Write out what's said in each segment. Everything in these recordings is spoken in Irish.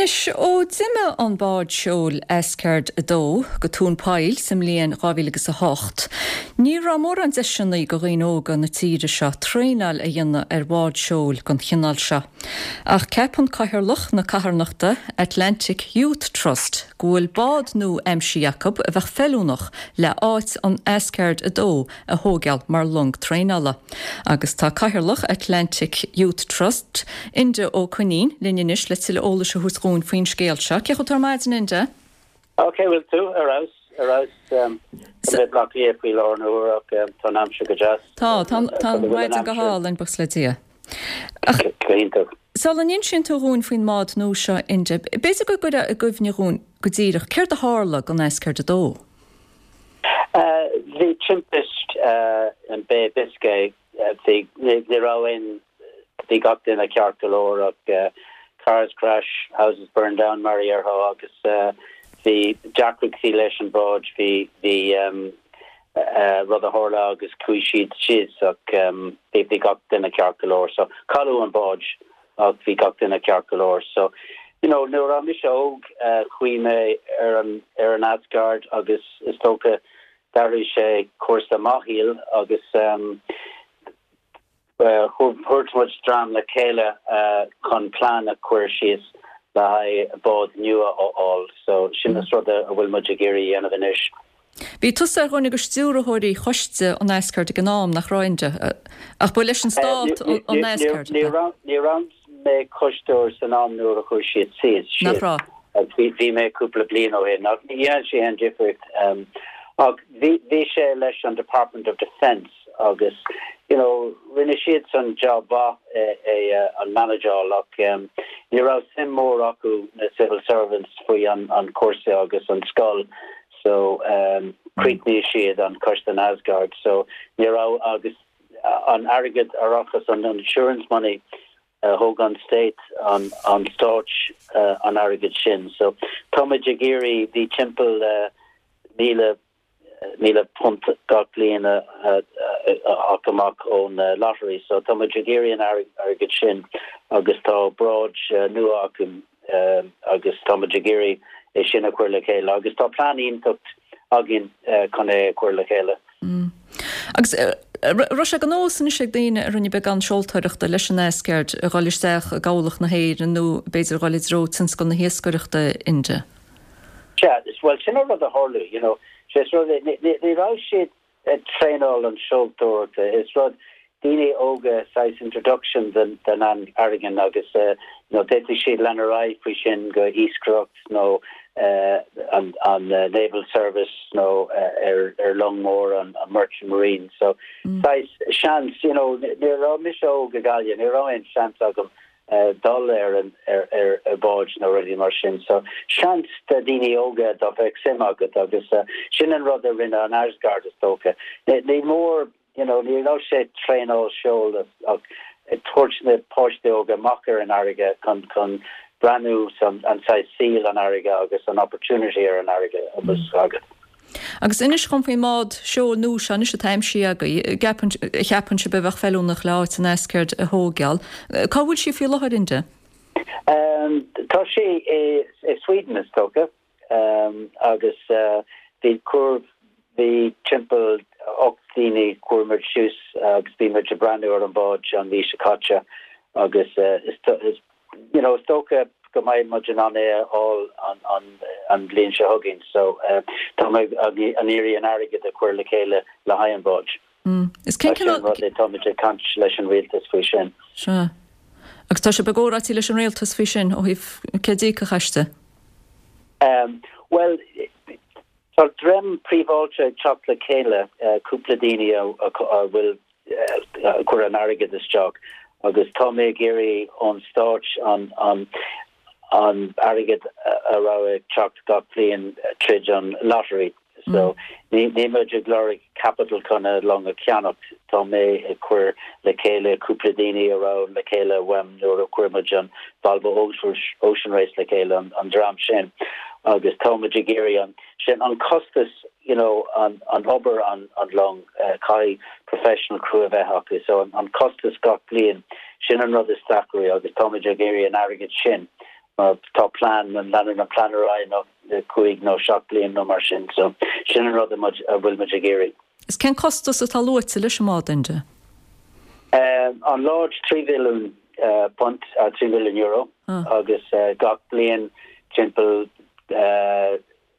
Anois, ó d'imigh an bád seoil Asgard 2 go Tóin Poill sa mbliain 2000 agus 8, ní raibh mórán deiseanna go dhaoine óga na tíre seo traenáil a dhéanamh ar bhád seoil den chineál seo. Ach ceapann Cathaoirleach na carthanachta Atlantic Youth Trust go bhfuil bád nua aimsithe acu a bheadh feiliúnach le áit an Asgard 2 a thóigeáil mar long traenála. Agus tá Cathaoirleach Atlantic Youth Trust, Enda Ó Coinín, linn anois le tuilleadh eolais a thabhairt dhúinn faoin scéal seo. Cén chaoi a bhfuil tú ar maidin, Enda? Ó, cén chaoi a bhfuil tú? Ar fheabhas, ar fheabhas. Tá mé i mBleá Cliath faoi láthair na huaire ach tá an aimsir go deas. Tá, tá an mhaidin go hálainn, buíochas le Dia. Ach Go hiontach. sula n-insíonn tú dhúinn faoin mbád nua seo, Enda, b'fhéidir go gcuirfeá i gcuimhne dhúinn go díreach céard a tharla don Asgard 2? Bhí timpist in Bay of Biscay, bhí, ní raibh aon, bhí gach duine ceart go leor ach cars crash, houses burn down mar a déarfá agus bhí deacrachtaí leis an bhád, bhí, bhí rud a tharla agus chuaigh siad síos ach bhí gach duine ceart go leor so cailleadh an bád. ach bhí gach duine ceart go leor. So, you know, nuair a raibh mise óg, chuaigh mé ar an, ar an Asgard agus is dócha d'athraigh sé cúrsa mo shaoil agus thabhairt muid dream le chéile chun plean a chur síos le haghaidh bád nua a fháil. So, sin is rud a bhfuil muid ag iarraidh a dhéanamh anois. Bhí tusa ar dhuine de stiúrthóirí choiste an Asgard ag an am, nach raibh, Enda? Ach ba leis an Stát an Asgard, ab ea? Ní raibh mé coisteoir san am nuair a chuir siad síos. Nach raibh? Bhí mé cúpla bliain ó shin. Ach ní dhéanann sé aon difríocht. Ach bhí sé leis an Department of Defence agus you know rinne siadsan job mhaith é an manageáil ach ní raibh suim mór acu na civil servants faoi an cúrsa agus an scoil so chríochnaigh siad an coiste an Asgard so ní raibh agus an airgead árachas an insurance money thóg an state an an stáit an airgead sin so táimid ag iarraidh bhí timpeall 1000 £1,000 gach bliain a ach amach ón lottery so táimid ag iarraidh an airgead sin agus tá bád nua acu agus táimid ag iarraidh é sin a chur le chéile agus tá plean iontach againn chun é a chur le chéile. Agus raibh sé de nós anois ag daoine a rinne beagán seoltóireachta leis an Asgard a dhul isteach i gCabhlach na hÉireann nó b'fhéidir a dhul i dtreo tionscal na hiascaireachta, Enda? Sea, bhuel sin an rud a tharla, you know, sé is rud é, ní raibh siad ag traenáil an seoltóireachta, is rud daoine óga saghas introduction den an fharraige agus you know d'fhéadfadh siad lean ar aghaidh faoi sin go iascaireacht nó an an naval service nó ar ar long mór an merchant marine so saghas seans you know nuair a raibh mise óg i Gaillimh ní raibh aon seans agam dul ar an ar ar báid nó rudaí mar sin. So seans do daoine óga dá bheadh suim agat agus sin an rud a rinne an Asgard is dócha. Ní mór you know ní raibh sé traenáil seol ach ag tabhairt na páistí óga amach ar an fharraige chun chun breathnú san an saghas saoil an fharraige agus an opportunity ar an fharraige agus agat. Agus inis dhom faoin mbád seoil nua seo anois atá aimsithe agaibh, a gceapann, a cheapann sibh a bheadh feiliúnach le áit an Asgard a thóigeáil. Cá bhfuil sí faoi láthair, Enda? Tá sí i Sweden is dócha agus bhí cuir, bhí timpeall 8 daoine chuir muid suas agus bhí muid ag breathnú ar an bád an mhí seo caite agus is you know, is dócha go mbeidh muid in ann é a fháil an an bhliain seo chugainn so tá mé ag iarraidh an airgead a chur le chéile le haghaidh an bháid. Is cén cineál. Sin rud é, tá muid ag caint leis an rialtas faoi sin. Sea. Agus tá sibh i gcomhráití leis an rialtas faoi sin ó thaobh céard d'íocfadh aisti? Bhuel, tá dream príobháideach ag teacht le chéile, cúpla daoine a bhfuil ag cur an airgead isteach agus tá mé ag iarraidh ón stáit an an an airgead a raibh ag teacht gach bliain tríd an lottery so ní ní muid ag lorg capital chun a long a cheannacht tá mé ag cur le chéile cúpla daoine a raibh le chéile uaim nuair a chuir muid an Volvo Ocean Race le chéile an an dream sin agus tá muid ag iarraidh an sin an costas you know an an obair an an long caithfidh professional crew a bheith acu so an an costas gach bliain sin an rud is deacraí agus táimid ag iarraidh an airgead sin. Mar tá plean, leanann an plean ar aghaidh nó 5 nó 7 bliain nó mar sin. So sin an rud a bhfuil muid ag iarraidh. Is cén costas atá luaite leis an mbád, Enda? An Lodge 3 mhilliún punt, 3 mhilliún euro, agus gach bliain timpeall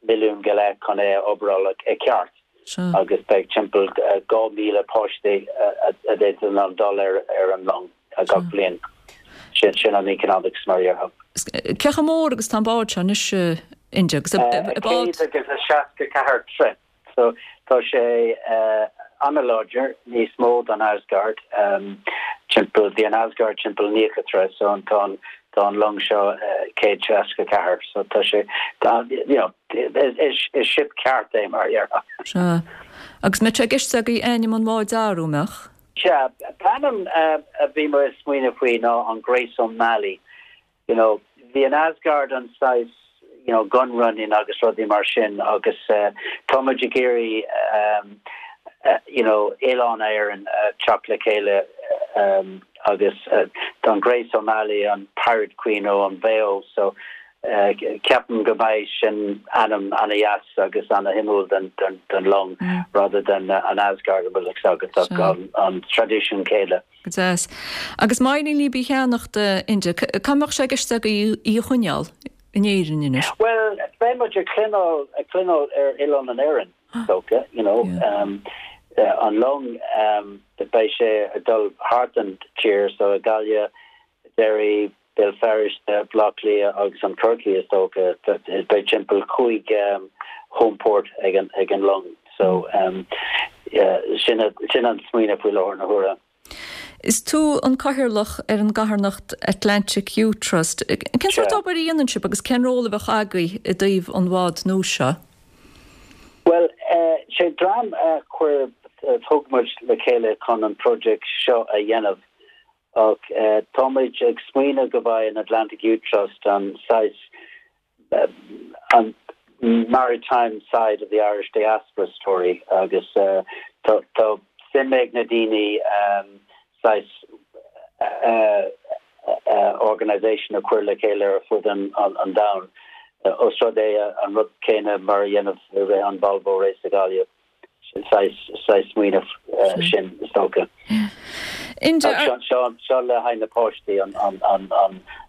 milliún go leith chun é a oibreáil i gceart agus beidh timpeall 2,000 páistí a bheidh in ann dul ar an long gach bliain. Sin an economics mar a déarfá. Cé chomh mór agus tá an bád seo anois, Enda? Agus bád. 164 troigh. So tá sé an-láidir, níos mó don Asgard, timpeall, bhí an Asgard timpeall 90 troigh, so an tá an tá an long seo 164, so tá sé, tá, you know, is is ship ceart é mar a déarfá. Sea. Agus mbeadh sé i gceist agaibh ainm an bháid a athrú, mbeadh? Sea, ainm a bhí mé ag smaoineamh faoi ná an Grace O'Malley. you know, bhí an Asgard an saghas, you know, gun running agus rudaí mar sin agus tá muid ag iarraidh um, you know, Oileán Éireann teacht le chéile um, agus uh, tá an Grace O'Malley an Pirate Queen ó an Mhaigh Eo so uh, ceapaim go mbeidh sin ainm ana-dheas agus ana-shuimiúil den, den, den long mm. rather than uh, an Asgard a bhfuil agus an, an tradition céanna. Go deas. Agus má éiríonn libh í a cheannacht, Enda, cá mbeadh sé i gceist agaibh í a choinneáil in Éirinn anois? Bhuel, beidh muid ag coinneáil, ag coinneáil ar Oileán an Éireann, is dócha, you know. An long, beidh sé ag dul thart an tír, so i Gaillimh, Derry, Béal Feirste, Baile Átha Cliath agus an Corcaigh is dócha. Beidh timpeall chúig home port ag an ag an long so sin sin an smaoineamh faoi láthair na huaire. Is tú an cathaoirleach ar an gcarthanacht Atlantic Youth Trust. Cén sórt obair a dhéanann sibh agus cén ról a bheadh agaibh i dtaobh an bhád nua seo? Bhuel, sé dream a chuir, thug muid le chéile chun an project seo a dhéanamh Ach táimid ag smaoineamh go mbeidh an Atlantic Youth Trust an saghas, an maritime side of the Irish diaspora story agus tá suim ag na daoine saghas organisation a chur le chéile ar fud an domhain, os rud é an rud céanna mar a dhéanamh i rith an Volvo Race i Gaillimh. Saghas smaoineamh sin, is dócha. Seo seo le haghaidh na páistí,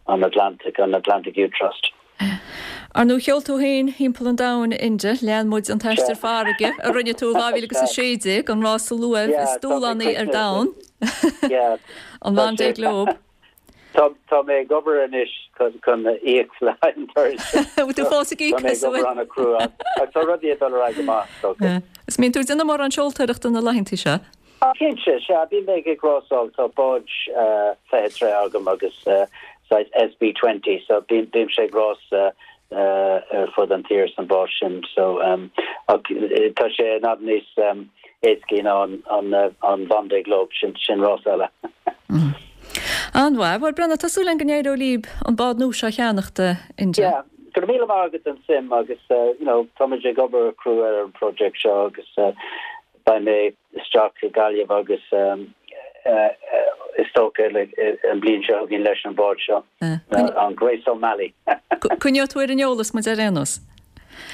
an Atlantic, an Atlantic Youth Trust. Ar ndóigh, sheol tú féin thimpeall an domhain, Enda. Lean muid an t-aistear farraige a rinne tú i 2016, an rása luaimh is dúshlánaí ar domhan, an Vendée Globe. Tá tá mé ag obair anois chun íoc le haghaidh an turais sin. Bhfuil tú fós ag íoc Tá mé ag obair an-chrua ach tá rudaí ag dul ar aghaidh go maith, is dócha. Is mbíonn tú ag déanamh mórán seoltóireachta na laethanta seo? Cinnte, sea, bím ag ag rásáil, tá bád 20 troigh agam agus saghas SB 20 so bím bímse ag rás ar fud an tír san bád sin so ach tá sé in fhad níos éascaí ná an Vendée Globe, sin sin rás eile. An-mhaith. Bhuel, Breandán, tá súil againn go n-éireoidh libh an bád nua seo a cheannacht, Enda. Yeah, go raibh míle maith agat an suim agus you know táimid ag obair crua ar an project seo agus beidh mé isteach i Gaillimh agus is dócha an bliain seo chugainn leis an bád seo, an Grace O'Malley. Coinneoidh tú ar an eolas muid ar aon nós.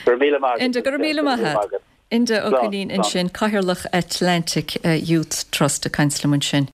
Go raibh míle maith agat. Enda, go raibh míle maith agat. Enda Ó Coilín ansin, Cathaoirleach Atlantic Youth Trust ag caint liom ansin.